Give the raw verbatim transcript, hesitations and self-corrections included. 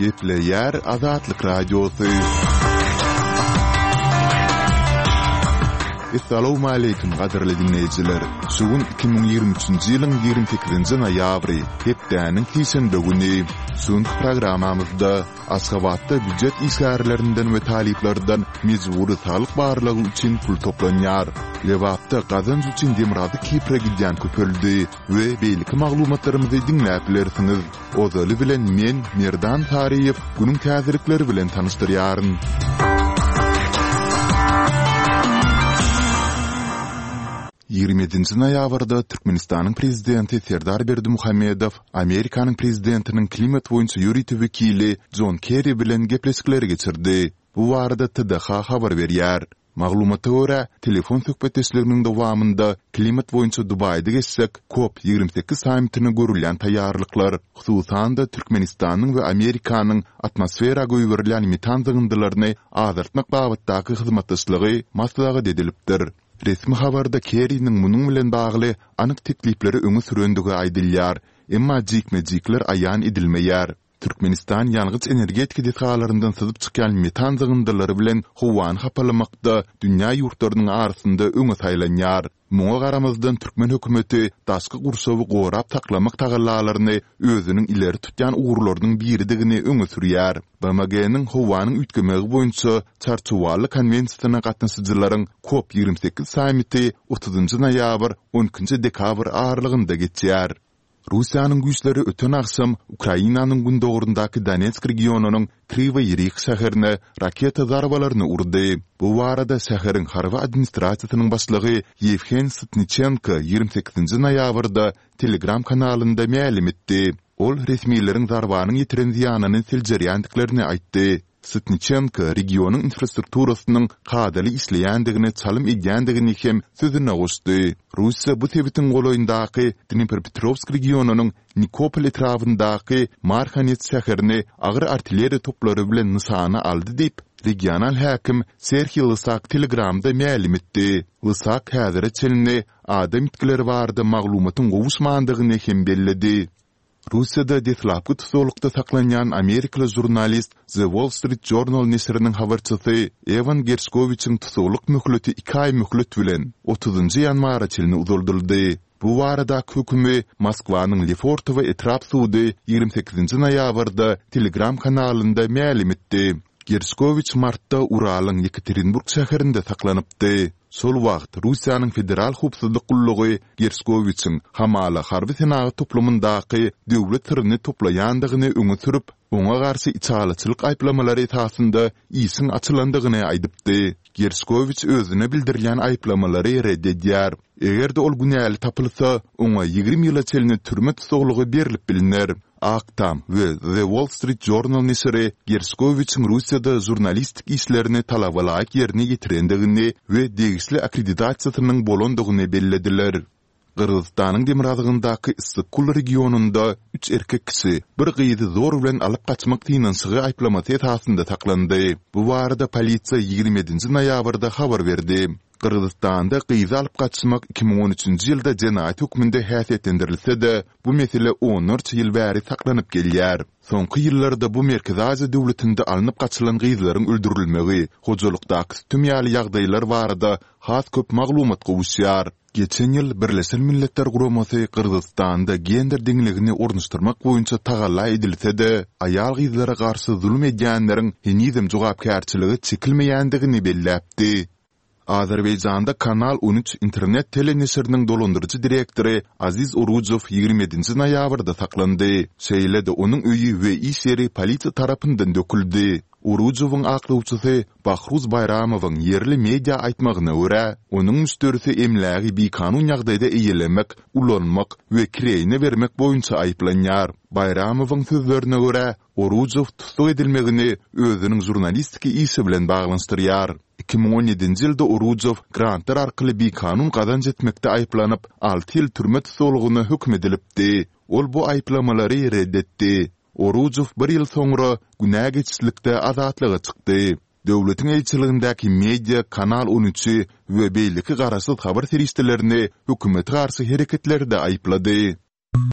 Gepleýär Azatlyk Radiosy. Essalawmaleýkim gadyrly diňleýjiler! Şu gün iki müň ýigrimi üçünji ýylyň ýigrimi sekizinji noýabry, hepdäniň sişenbe güni. Şu günki programmamyzda Aşgabatda býujet işgärlerinden we talyplardan mejbury saglyk barlagy üçin pul toplanýar. Lebapda gazanç üçin Demirgazyk Kipre gidýän köpeldi we beýleki maglumatlarymyzy diňläp bilersiňiz. Ozaly bilen men, Merdan Saryýew, günüň täzelikleri bilen tanyşdyrýaryn. Ýigrimi ýedinji noýabrda Türkmenistanyň Prezidenti Serdar Berdimuhamedow Amerikanyň Prezidentiniň klimat boýunça ýörite wekili Jon Kerri bilen gepleşikleri geçirdi. Bu barada TDH habar berýär. Maglumata görä, telefon söhbetdeşliginiň dowamynda klimat boýunça Dubaýda geçjek Kop ýigrimi sekiz sammitine görülýän taýýarlyklar, hususan-da, Türkmenistanyň we Amerikanyň atmosfera goýberilýän metan zyňyndylaryny azaltmak babatdaky hyzmatdaşlygy maslahat edilipdir. Resmi habarda Kerriniň munuň bilen bagly anyk teklipleri öňe sürendigi aýdylýar, emma jikme-jikler aýan edilmeýär. Türkmenistan ýangyç-energetika desgalaryndan syzyp çykýan metan zyňyndylary bilen howany hapalamakda dünýä ýurtlarynyň arasynda öňe saýlanýar. Muňa garamazdan türkmen hökümeti daşky gurşawy gorap saklamak tagallalaryny özüniň ileri tutýan ugurlarynyň biridigini öňe sürýär. BMG-niň howanyň üýtgemegi boýunça Çarçuwaly konwensiýasyna gatnaşyjylaryň Kop ýigrimi sekiz sammiti otuzynjy noýabr, on ikinji dekabr aralygynda geçýär. Russiýanyň güýçleri öten agşam Ukrainanyň gündogaryndaky Donetsk regionynyň Kriwoý Rih şäherine raketa zarbalaryny urdy. Bu barada şäheriň harby administrasiýasynyň başlygy Ýewhen Sytniçenko ýigrimi sekizinji noýabrda Telegram kanalynda mälim etdi. Ol resmileriň zarbanyň ýetiren zyýanyny seljerýändiklerini aýtdy. Sytniçenko regionyň infrastrukturasynyň kadaly işleýändigine çalym edýändigini hem sözüne goşdy. Russiýa bu sebitiň golaýyndaky Dnepropetrowsk regionynyň Nikopol etrabyndaky Marhanets şäherini agyr artilleriýa toplary bilen nyşana aldy diýip, regional häkim Serhiý Lysak Telegramda mälim etdi. Lysak häzire çenli adam ýitgileri barada maglumatyň gowuşmandygyny hem belledi. Russiýada deslapky tussaglykda saklanýan amerikaly žurnalist, The Wall Street Journal neşiriniň habarçysy Ewan Gerşkowiçiň tussaglyk möhleti iki aý möhlet bilen, otuzynjy ýanwara çenli uzaldyldy. Bu baradaky hökümi Moskwanyň Lefortowo etrap sudy ýigrimi sekizinji noýabrda Telegram kanalynda mälim etdi. Gerşkowiç martda Uralyň Ýekaterinburg şäherinde saklanypdy. Şol wagt Russiýanyň Federal howpsuzlyk gullugy Gerşkowiçiň hamala harby-senagat toplumyndaky döwlet syryny toplaýandygyny öňe sürüp, oňa garşy içalyçylyk aýyplamalary esasynda işiň açylandygyny aýdypdy. Gerşkowiç özüne bildirilýän aýyplamalary ret edýär. Eger-de ol günäli tapylsa, oňa ýigrimi ýyla çenli türme tussaglygy berlip bilner. Ak Tam we The Wall Street Journal neşiri Gerşkowiçiň Russiýada žurnalistik işlerini talabalaýyk ýerine ýetirendigini we degişli akkreditasiýasynyň bolandygyny bellediler. Gyrgyzystanyň demirgazygyndaky Issyk-Kul regionynda üç erkek kişi bir gyzy zor bilen alyp gaçmak synanyşygy aýyplamasy esasynda saklandy. Bu barada polisiýa ýigrimi ýedinji noýabrda habar berdi. Gyrgyzystanda gyzy alyp gaçmak iki müň on üçünji ýylda jenaýat hökmünde häsiýetlendirilse-de, bu mesele onlarça ýyl bäri saklanyp gelýär. Soňky ýyllarda bu Merkezi Aziýa döwletinde alnyp gaçylan gyzlaryň öldürilmegi, hojalykdaky sütem ýaly ýagdaýlar barada has köp maglumat gowuşýar. Geçen ýyl Birleşen Milletler Guramasy Gyrgyzystanda gender deňligini ornaşdyrmak boýunça tagalla edilse-de, aýal-gyzlara garşy zulum edýänleriň henizem jogapkärçilige çekilmeýändigini belläpdi. Azerbaýjanda Kanal on üç internet teleneşiriniň dolandyryjy direktory Aziz Orujow ýigrimi ýedinji noýabrda saklandy. Şeýle-de onuň öýi we iş ýeri polisiýa tarapyndan döküldi. Orujowyň aklawçysy Bahruz Baýramowyň ýerli media aýtmagyna görä, onuň müşderisi emlägi bikanun ýagdaýda eýelemek, ulanmak we kireýine bermek boýunça aýyplanýar. Baýramowyň sözlerine görä, Orujow tussag edilmegini özüniň žurnalistiki işi bilen baglanyşdyrýar. Iki müň on ýedinji ýylda Orujow grantlar arkaly bikanun gazanç etmekde aýyplanyp, alty ýyl türme tussaglygyna höküm edilipdi. Ol bu aýyplamalary ret etdi. Orujow bir ýyl soňra günä geçişlikde azatlyga çykdy. Döwletiň eýeçiligindäki media Kanal on üçi we beýleki garaşsyz habar serişdelerini hökümete garşy hereketlerde aýyplady.